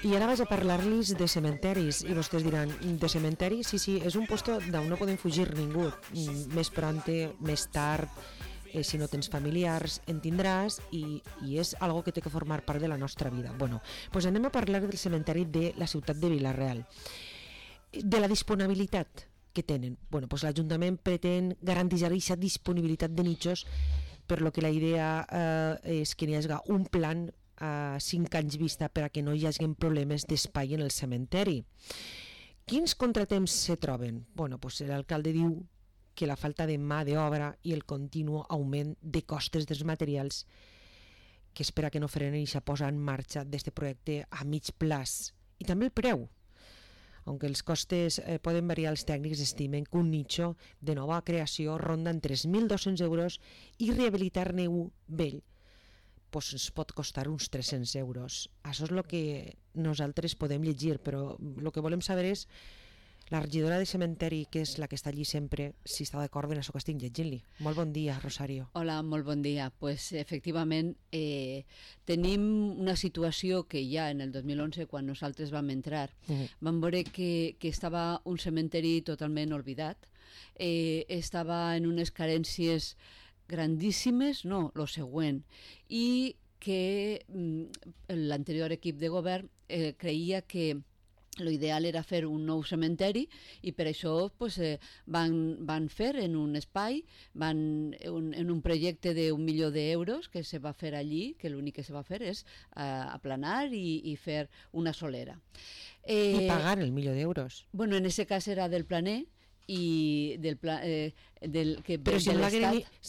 I ara vaig a parlar-los de cementeris i vostès diran, de cementeris? Sí, és un puesto d'on no podem fugir ningú, més pronte, més tard, si no tens familiars en tindràs i és algo que té que formar part de la nostra vida. Bueno, doncs anem a parlar del cementeri de la ciutat de Vila-real, de la disponibilitat que tenen. Bueno, doncs l'Ajuntament pretén garantir aquesta disponibilitat de nichos, per lo que la idea és que n'hi hagi un plan a 5 anys vista per a que no hi hagi problemes d'espai en el cementeri. Quins contratemps se troben? Bueno, doncs l'alcalde diu que la falta de mà d'obra i el continu augment de costes dels materials que espera que no frenen i se posa en marxa d'aquest projecte a mig plaç. I també el preu. Aunque els costes poden variar, els tècnics estimen que un nicho de nova creació ronda en 3.200 euros i rehabilitar-ne un vell pues ens pot costar uns 300 euros. Això és el que nosaltres podem llegir, però el que volem saber és la regidora de cementeri, que és la que està allí sempre, si està d'acord en això que estic llegint-li. Molt bon dia, Rosario. Hola, molt bon dia. Pues efectivament tenim una situació que ja en el 2011, quan nosaltres vam entrar, vam veure que estava un cementeri totalment oblidat, estava en unes carències grandíssimes, no, lo següent, i que l'anterior equip de govern creia que l'ideal era fer un nou cementeri i per això pues, van fer en un espai, en un projecte d'1 milió d'euros que se va fer allí, que l'únic que se va fer és aplanar i fer una solera. I pagar el 1 milió d'euros. Bueno, en aquest cas era del planer, i del que però si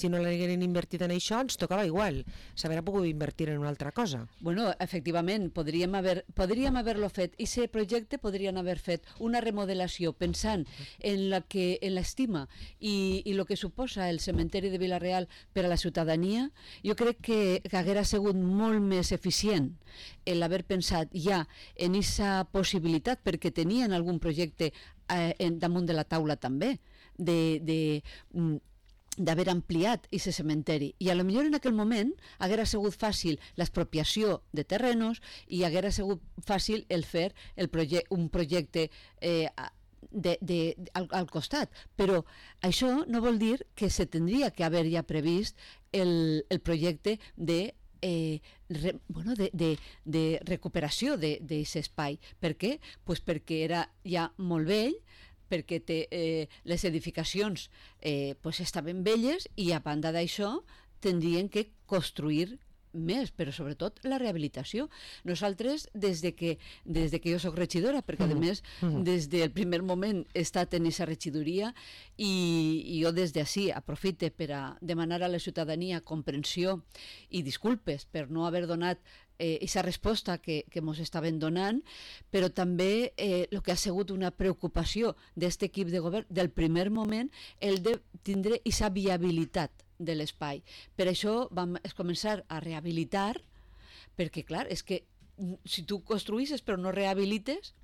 no l'hagueren invertit en això ens tocava igual, s'haurà pogut invertir en una altra cosa. Bueno, efectivament podríem haver-lo fet i aquest projecte podrien haver fet una remodelació pensant en l'estima i el que suposa el cementeri de Vila-real per a la ciutadania. Jo crec que haguera sigut molt més eficient l'haver pensat ja en aquesta possibilitat, perquè tenien algun projecte damunt de la taula també d'haver ampliat aquest cementeri, i a lo millor en aquell moment haguera sigut fàcil l'expropiació de terrenos i haguera sigut fàcil el fer un projecte al costat, però això no vol dir que se tindria que haver ja previst el projecte de recuperació d'aquest espai. Per què? Pues perquè era ja molt vell, perquè les edificacions estaven velles i a banda d'això tindrien que construir més, però sobretot la rehabilitació. Nosaltres, des de que jo soc regidora, perquè a més des del primer moment he estat en aquesta regidoria, i jo des d'ací aprofite per a demanar a la ciutadania comprensió i disculpes per no haver donat aquesta resposta que ens estaven donant, però també el que ha sigut una preocupació d'aquest equip de govern del primer moment, el de tindre aquesta viabilitat de l'espai. Per això vam començar a rehabilitar, perquè clar, és que si tu construïssis però no rehabilites,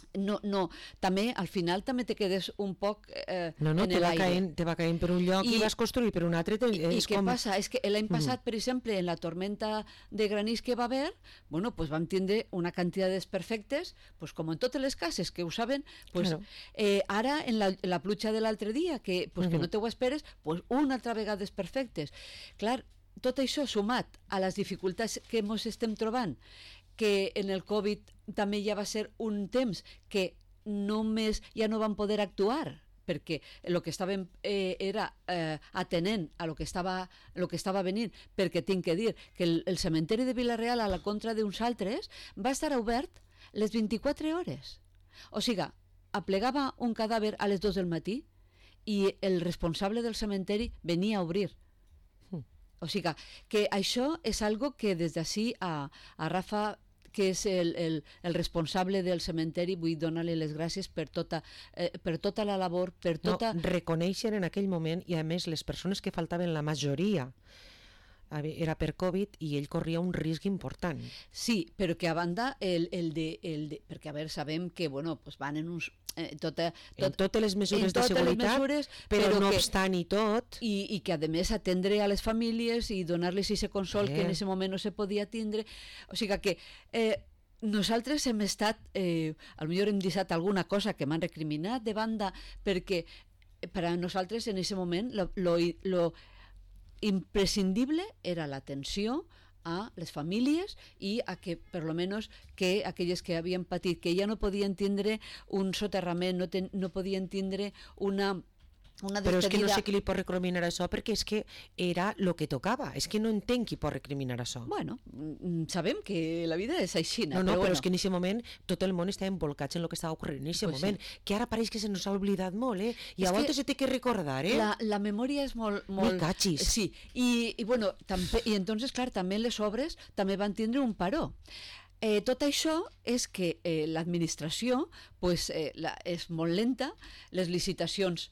també al final també te quedes un poc en l'aire. Te va caient per un lloc i vas construir per un altre. I què passa? És que l'any passat, per exemple, en la tormenta de granís que va haver, bueno, pues vam tindre una quantitat de desperfectes, pues com en totes les cases, que ho saben, pues, ara en la pluja de l'altre dia, que no te ho esperes, pues una altra vegada desperfectes. Clar, tot això sumat a les dificultats que ens estem trobant, que en el Covid també ja va ser un temps que només ja no van poder actuar, perquè el que estàvem era atenent a lo que estava venint, perquè tinc que dir que el cementeri de Vila-real, a la contra d'uns altres, va estar obert les 24 hores. O sigui, aplegava un cadàver a les 2 del matí i el responsable del cementeri venia a obrir. O sigui, que això és algo que des d'ací a Rafa, que és el responsable del cementeri, vull donar-li les gràcies per tota la labor, per tota... Reconèixer en aquell moment, i a més les persones que faltaven, la majoria era per Covid i ell corria un risc important. Sí, però que a banda perquè a veure, sabem que van en uns... en totes les mesures de seguretat, però no obstant i tot... I que a més atendre a les famílies i donar-les aquest consol que en aquest moment no se podia tindre. O sigui que nosaltres hem estat, potser hem deixat alguna cosa que m'han recriminat de banda, perquè per a nosaltres en aquest moment lo imprescindible era l'atenció a les famílies i a que, per lo menos, que aquelles que havien patit, que ja no podien tindre un soterrament, no podien tindre una però és que no sé qui li pot recriminar això, perquè és que era el que tocava. És que no entenc qui pot recriminar això. Bueno, sabem que la vida és així. No, però és que en aquest moment tot el món està envolcat en el que estava ocorrent en aquest moment, que ara pareix que se nos ha oblidat molt, i a voltes se té que recordar, La memòria és molt... Me cachis. Sí, i bueno, entonces, clar, també les obres també van tindre un paró. Tot això és que l'administració pues, és molt lenta, les licitacions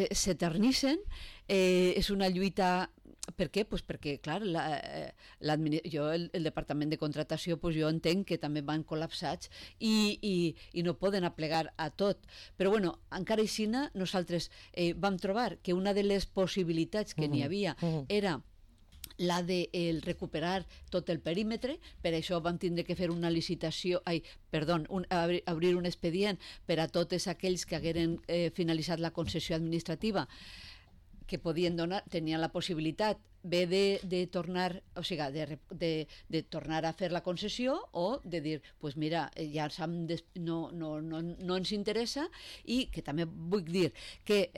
s'eternissen, és una lluita... Per què? Pues perquè, clar, el Departament de Contratació pues, jo entenc que també van col·lapsats i no poden aplegar a tot. Però bueno, encara així nosaltres vam trobar que una de les possibilitats que n'hi havia era la de recuperar tot el perímetre, per això vam tindre que fer una licitació, obrir un expedient per a tots aquells que hagueren finalitzat la concessió administrativa, que podien donar, tenien la possibilitat bé de tornar, o sigui, de tornar a fer la concessió o de dir, pues mira, ja no ens interessa, i que també vull dir que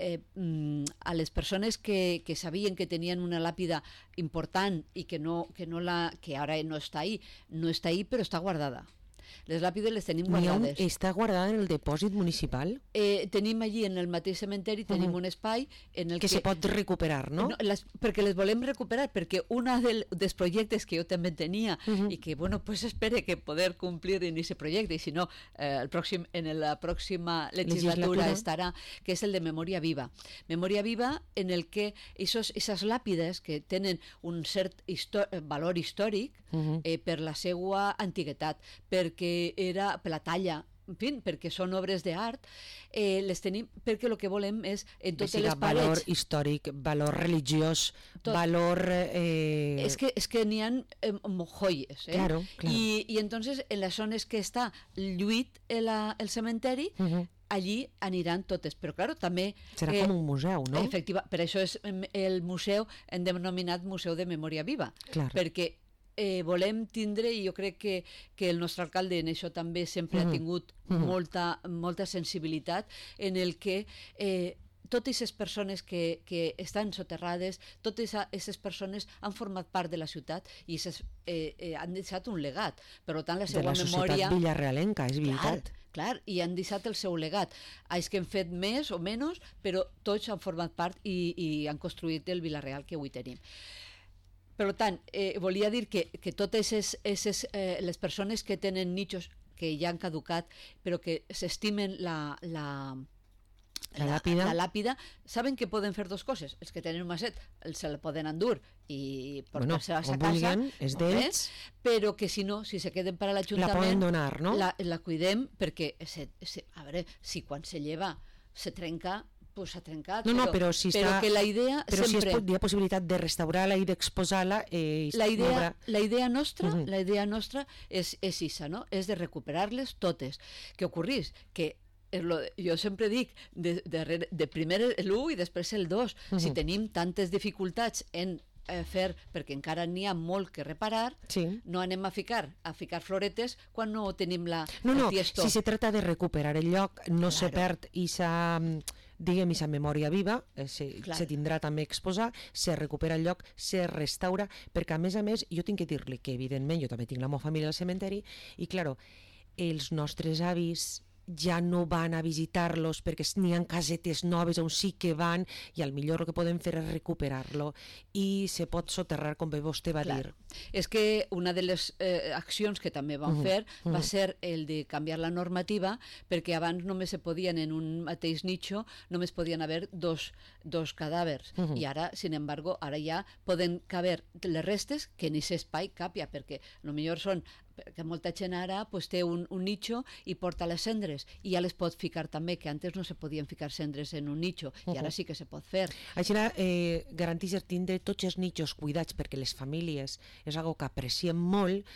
a les persones que sabien que tenien una làpida important i que ara no està ahí, però està guardada. Les làpides les tenim guardades. Està guardada en el depòsit municipal? Tenim allí, en el mateix cementeri, tenim un espai en el que se pot recuperar, no? Perquè les volem recuperar, perquè un dels projectes que jo també tenia i que, bueno, pues espere que poder complir en aquest projecte, i si no, en la pròxima legislatura estarà, que és el de Memòria Viva. Memòria Viva en el que aquestes làpides que tenen un cert valor històric per la seva antiguitat, perquè era per la talla, en fi, perquè són obres d'art, les tenim perquè el que volem és en totes les parets... Valor històric, valor religiós, valor... És que n'hi ha joies, Claro. I entonces en les zones que està lluït el cementeri, allí aniran totes, però claro, també... Serà com un museu, no? Efectiva, per això és el museu, hem denominat Museu de Memòria Viva, perquè volem tindre, i jo crec que el nostre alcalde en això també sempre ha tingut molta sensibilitat, en el que totes aquestes persones que estan soterrades, totes aquestes persones han format part de la ciutat i han deixat un legat. Per tant, la seva memòria... De la societat villarealenca, és veritat. Clar, i han deixat el seu legat. Els que han fet més o menys, però tots han format part i han construït el Vila-real que avui tenim. Per tant, volia dir que totes les persones que tenen nichos que ja han caducat, però que s'estimen la làpida, saben que poden fer dues coses. Els que tenen un maset se la poden endur i portar-se a sa casa, és d'ells, però que si no, si se queden per a l'Ajuntament, la poden donar, no? La cuidem, perquè a veure, si quan se lleva se trenca, pues s'ha trencat, però si que la idea però sempre... si hi ha possibilitat de restaurar-la i d'exposar-la... La idea nostra és aquesta, no? És de recuperar-les totes. Què ocorrís? Que jo sempre dic, de primer l'1 i després el 2, si tenim tantes dificultats en fer, perquè encara n'hi ha molt que reparar, no anem a ficar floretes quan no tenim el tiesto. Si se trata de recuperar el lloc, no se perd diguem, aquesta memòria viva, se tindrà també exposar, se recupera el lloc, se restaura, perquè a més, jo tinc que dir-li que evidentment jo també tinc la meva família al cementeri i, claro, els nostres avis ja no van a visitar-los perquè n'hi ha casetes noves on sí que van i al millor el que podem fer és recuperar-lo i se pot soterrar, com bé vostè va dir. És que una de les accions que també vam fer va ser el de canviar la normativa, perquè abans només se podien en un mateix nicho, només podien haver dos cadàvers, i ara, sin embargo, ara ja poden caber les restes que en aquest espai capia, perquè potser són que molta gent ara té un nicho i porta les cendres i ja les pot ficar també, que antes no se podien ficar cendres en un nicho i ara sí que se pot fer. Això garanteix tindre tots els nichos cuidats, perquè les famílies és algo que apreciem molt,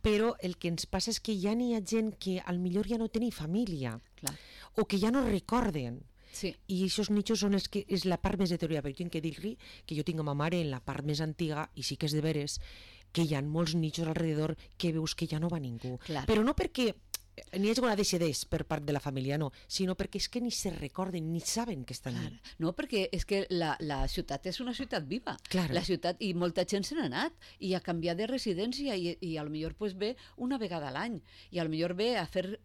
però el que ens passa és que ja n'hi ha gent que al millor ja no tenia família, Clar. o que ja no recorden. Sí. I aquests nichos són els que és la part més deteriorada, perquè tinc que dir-li que jo tinc a ma mare en la part més antiga, i sí que és de veres que hi ha molts nichos alrededor que veus que ja no va ningú. Clar. Però no perquè n'hi hagi una deixadeix per part de la família, no, sinó perquè és que ni se recorden ni saben que estan allà. No, perquè és que la ciutat és una ciutat viva. Claro. La ciutat, i molta gent se n'ha anat i ha canviat de residència i a lo millor pues, ve una vegada a l'any i a lo millor ve a fer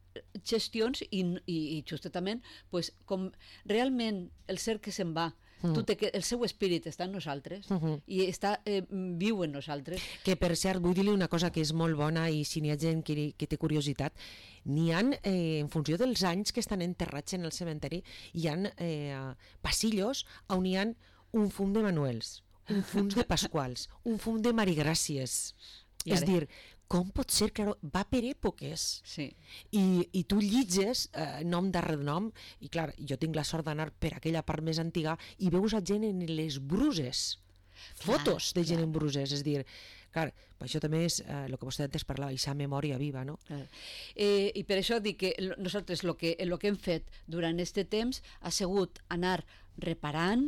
gestions i justament pues, com realment el ser que se'n va, el seu espírit està en nosaltres i està viu en nosaltres. Que per cert, vull dir-li una cosa que és molt bona, i si n'hi ha gent que té curiositat, n'hi ha, en funció dels anys que estan enterrats en el cementeri, hi ha passillos on hi ha un fum de Manuels, un fum de Pasquals, un fum de Marigràcies. És dir, com pot ser que va per èpoques? Sí. I tu llitges nom darrere nom, i clar, jo tinc la sort d'anar per aquella part més antiga i veus a gent en les bruses, fotos de gent en bruses, és dir, clar, això també és el que vostè antes parlava, aquesta memòria viva, no? I per això dic que nosaltres el que hem fet durant aquest temps ha sigut anar reparant,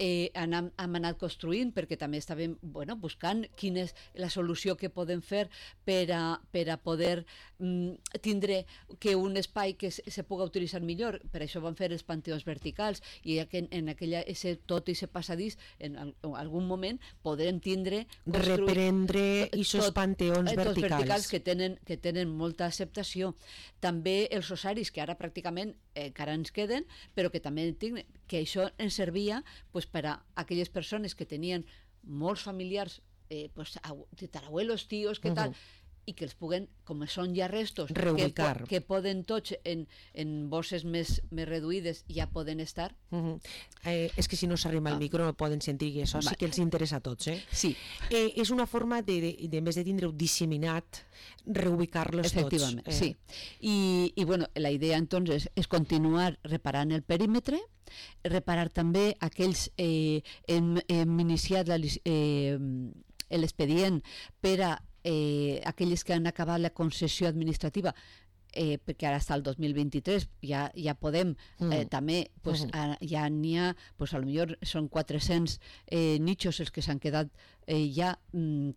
hem anat construint, perquè també estàvem buscant quina és la solució que podem fer per a poder tindre que un espai que se pugui utilitzar millor. Per això vam fer els panteons verticals, i en tot i ese passadís en algun moment podrem tindre reprendre aquests panteons verticals que tenen molta acceptació. També els rosaris, que ara pràcticament encara ens queden, però que també que això ens servia per a aquelles persones que tenien molts familiars, tatarabuelos, tios, que tal, i que els puguen, com són ja restos, reubicar, que poden tots en bosses més reduïdes ja poden estar. És que si no s'arrima al micro no poden sentir, que això sí que els interessa a tots. Sí. És una forma de en vez de tindre-ho disseminat, reubicar-los tots. Efectivament, sí. I bueno, la idea entonces és continuar reparant el perímetre, reparar també aquells hem iniciat l'expedient per a aquelles que han acabat la concessió administrativa, perquè ara està el 2023, ja podem també, ja n'hi ha, potser són 400 nichos els que s'han quedat ja,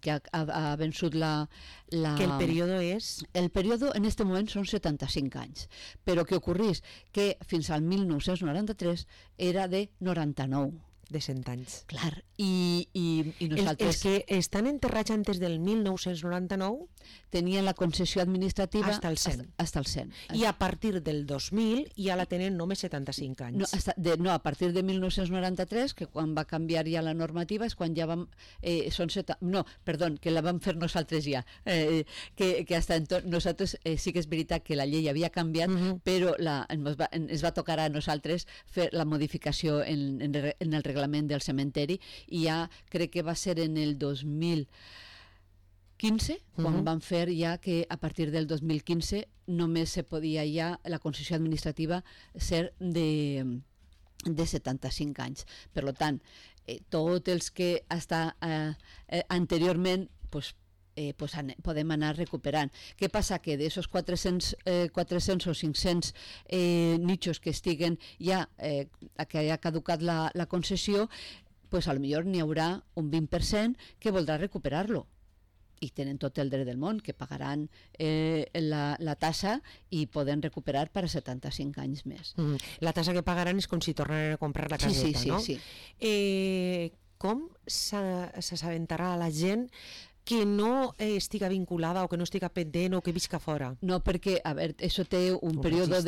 que ha vençut que el període és? El període en aquest moment són 75 anys, però què ocorrís? Que fins al 1993 era de 99. De 100 anys. Clar, i nosaltres... Els que estan enterrats antes del 1999 tenien la concessió administrativa hasta el 100. Hasta el 100. I a partir del 2000 ja la tenen només 75 anys. No, a partir de 1993, que quan va canviar ja la normativa, és quan ja vam... que la vam fer nosaltres ja. Que hasta nosaltres sí que és veritat que la llei havia canviat, però ens va tocar a nosaltres fer la modificació en el reglament del cementeri, i ja crec que va ser en el 2015 quan van fer ja que a partir del 2015 només se podia ja la concessió administrativa ser de 75 anys. Per tant, tots els que anteriorment podem anar recuperant. Què passa? Que d'aquests 400 o 500 nichos que estiguen ja, que hagi caducat la concessió, a lo millor n'hi haurà un 20% que voldrà recuperar-lo, i tenen tot el dret del món, que pagaran la tassa i poden recuperar per a 75 anys més. La tassa que pagaran és com si tornaran a comprar la caseta, no? Sí. Com s'assabentarà la gent que no estiga vinculada o que no estiga pendent o que visca fora? No, perquè, a veure, això té un període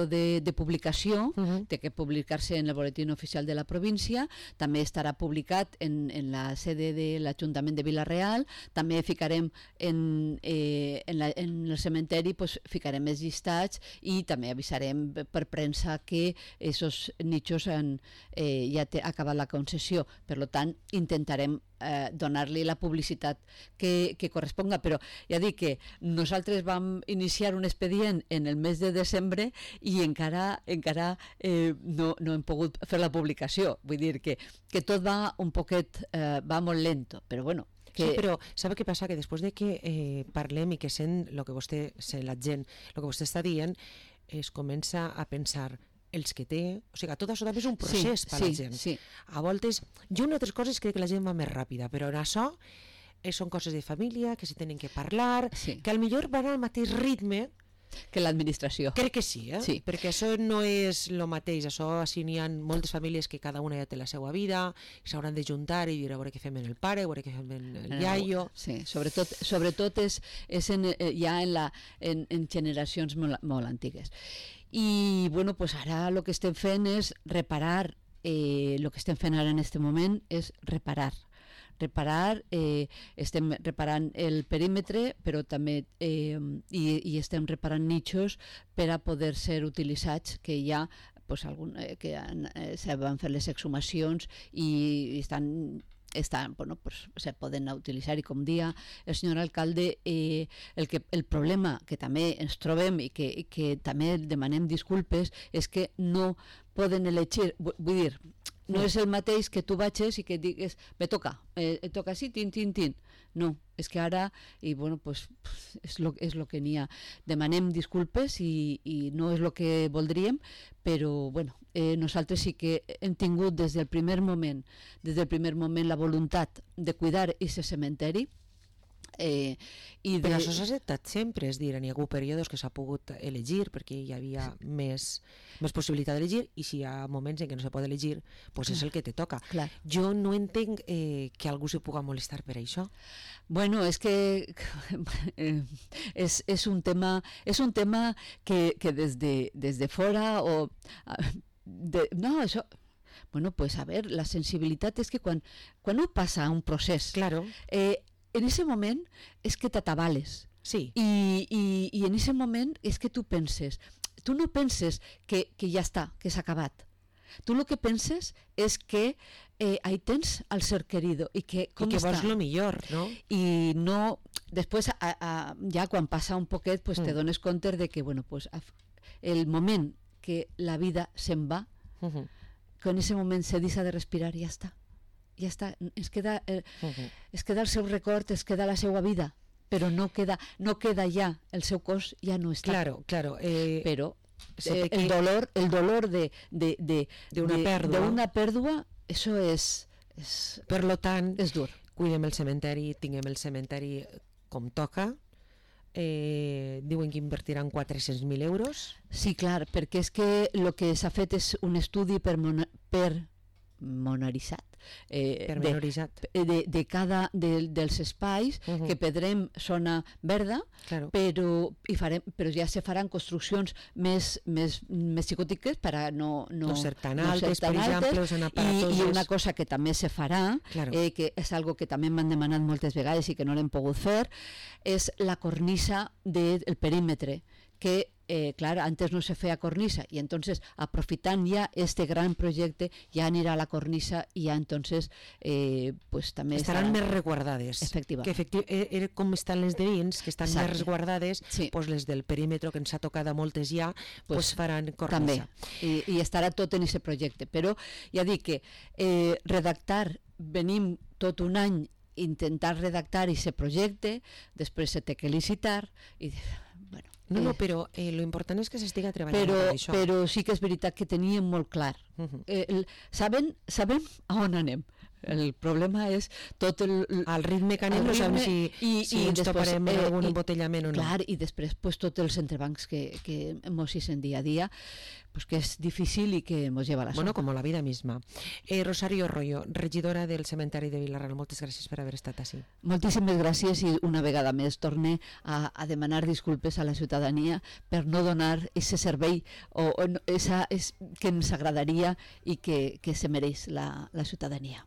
de publicació, té que publicar-se en el boletín oficial de la província, també estarà publicat en la sede de l'Ajuntament de Vila-real, també ficarem en el cementeri, ficarem els llistats i també avisarem per premsa que aquests nichos ja ha acabat la concessió. Per tant, intentarem donar-li la publicitat que corresponga, però ja dic que nosaltres vam iniciar un expedient en el mes de desembre i encara no hem pogut fer la publicació. Vull dir que tot va un poquet, va molt lento, però bueno, Sí, però sabe què passa? Que després de que parlem i que sent el que vostè, sent la gent, el que vostè està dient, es comença a pensar els que té, o sigui, tot això també és un procés per a la gent. Sí. A voltes, jo en altres coses crec que la gent va més ràpida, però en això són coses de família, que se tenen que parlar, que al millor van al mateix ritme que l'administració. Crec que sí, Sí. perquè això no és el mateix, això així n'hi ha moltes famílies que cada una ja té la seva vida, s'hauran de juntar i dir a veure què fem en el pare, a veure què fem en el iaio. Sí, sobretot és ja en generacions molt antigues. I bueno, pues ara el que estem fent és reparar, el que estem fent ara en aquest moment és reparar, estem reparant el perímetre, però també i estem reparant nichos per a poder ser utilitzats, que ja pues, se van fer les exhumacions i bueno, pues, se poden utilitzar, i com dia el senyor alcalde, el problema que també ens trobem i que també demanem disculpes és que no poden elegir, vull dir, no és el mateix que tu vagis i que digues, me toca així, tin. No, és que ara, i bueno, pues, és lo que n'hi ha. Demanem disculpes i no és el que voldríem, però bueno, nosaltres sí que hem tingut des del primer moment la voluntat de cuidar aquest cementeri. Però això s'ha acceptat sempre, és dir, hi ha hagut períodes que s'ha pogut elegir perquè hi havia més possibilitat d'elegir, i si hi ha moments en què no se pot elegir, doncs és el que te toca. Clar. Jo no entenc que algú se puga molestar per això. Bueno, és que és un tema que des de fora o no, això. Bueno, pues a ver, la sensibilitat és que quan no passa un procés, claro, en ese moment és que t'atabales. Sí. I en ese moment és que tu no penses que ja està, que s'ha acabat. Tu el que penses és que ahí tens el ser querido i que vols lo millor, no? I no, després ja quan passa un poquet pues te dones compte de que bueno, pues, el moment que la vida se'n va, que en ese moment se deixa de respirar i ja està. Ja està, es queda el seu record, es queda la seva vida, però no queda ja, el seu cos ja no està. Claro. Però el dolor d'una pèrdua, això és... Per lo tant, és dur. Cuidem el cementeri, tinguem el cementeri com toca. Diuen que invertiran 400.000 euros. Sí, clar, perquè és que el que s'ha fet és un estudi pormenoritzat de cada dels espais, que pedrem zona verda, claro, però ja se faran construccions més xicotiques per a no ser tan altes, per exemple, i una cosa que també se farà, claro, que és algo que també m'han demanat moltes vegades i que no l'hem pogut fer, és la cornisa del perímetre, que clar, antes no se feia cornisa i entonces aprofitant ja este gran projecte ja anirà a la cornisa i ja entonces pues també estaran més resguardades. Que com estan les de dins, que estan més resguardades, sí, pues les del perímetre que ens ha tocat a moltes ja, pues faran cornisa. També, i estarà tot en aquest projecte, però ja dic que redactar, venim tot un any intentar redactar aquest projecte, després se té que licitar i bueno, no, però lo important és que s'estiga treballant per això. Però sí que és veritat que teníem molt clar. Sabem a on anem. El problema és tot el ritme que anem, no sabem si ens toparem en algun embotellament o no. Clar, i després pues, tots els entrebancs que mos hicen dia a dia, pues, que és difícil i que mos lleva a la Bueno, com la vida misma. Rosario Royo, regidora del cementeri de Vila-ral, moltes gràcies per haver estat així. Moltíssimes gràcies i una vegada més torne a demanar disculpes a la ciutadania per no donar aquest servei que ens agradaria i que se mereix la ciutadania.